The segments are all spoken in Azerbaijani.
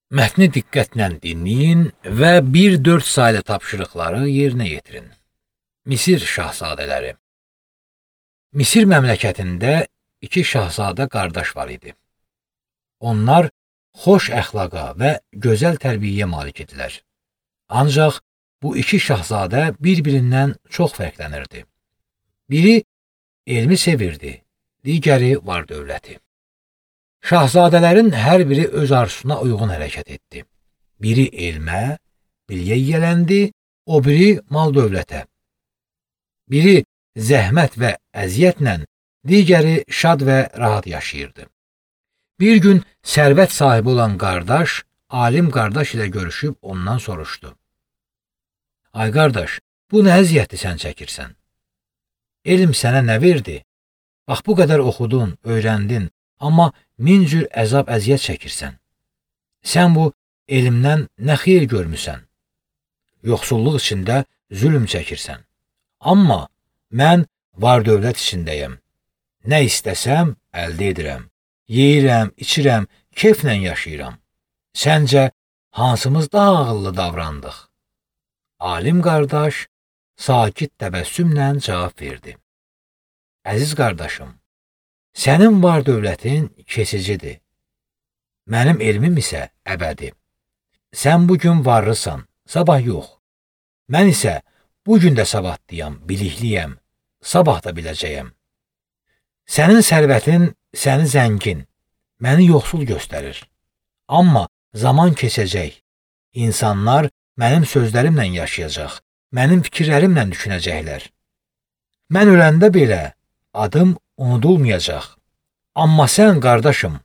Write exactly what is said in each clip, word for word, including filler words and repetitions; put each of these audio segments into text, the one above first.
Mətni diqqətlə dinləyin və bir dörd saylı tapşırıqları yerinə yetirin. Misir şahzadələri. Misir məmləkətində iki şahzadə qardaş var idi. Onlar xoş əxlaqa və gözəl tərbiyəyə malik idilər. Ancaq bu iki şahzadə bir-birindən çox fərqlənirdi. Biri elmi sevirdi, digəri var dövləti. Şahzadələrin hər biri öz arzusuna uyğun hərəkət etdi. Biri elmə, bilgiyə yiyələndi, o biri mal dövlətə. Biri zəhmət və əziyyətlə, digəri şad və rahat yaşayırdı. Bir gün sərvət sahibi olan qardaş, alim qardaş ilə görüşüb ondan soruşdu. Ay qardaş, bu nə əziyyəti sən çəkirsən? Elm sənə nə verdi? Bax, bu qədər oxudun, öyrəndin, amma min cür əzab əziyyət çəkirsən. Sən bu elmdən nə xeyir görmüsən? Yoxsulluq içində zülm çəkirsən. Amma mən var dövlət içindəyəm. Nə istəsəm, əldə edirəm. Yeyirəm, içirəm, keyflə yaşayıram. Səncə, hansımız daha ağıllı davrandıq? Alim qardaş sakit təbəssümlə cavab verdi. Əziz qardaşım, sənin var dövlətin keçicidir. Mənim elmim isə əbədi. Sən bugün varlısan, sabah yox. Mən isə bugün də savadlıyam, bilikliyəm, sabah da biləcəyəm. Sənin sərvətin səni zəngin, məni yoxsul göstərir. Amma zaman keçəcək. İnsanlar mənim sözlərimlə yaşayacaq, mənim fikirlərimlə düşünəcəklər. Mən öləndə belə adım unudulmayacaq. Amma sən, qardaşım,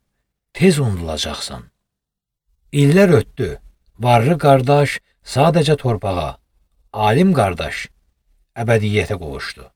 tez unudulacaqsan. İllər ötdü, varlı qardaş sadəcə torpağa, alim qardaş əbədiyyətə qovuşdu.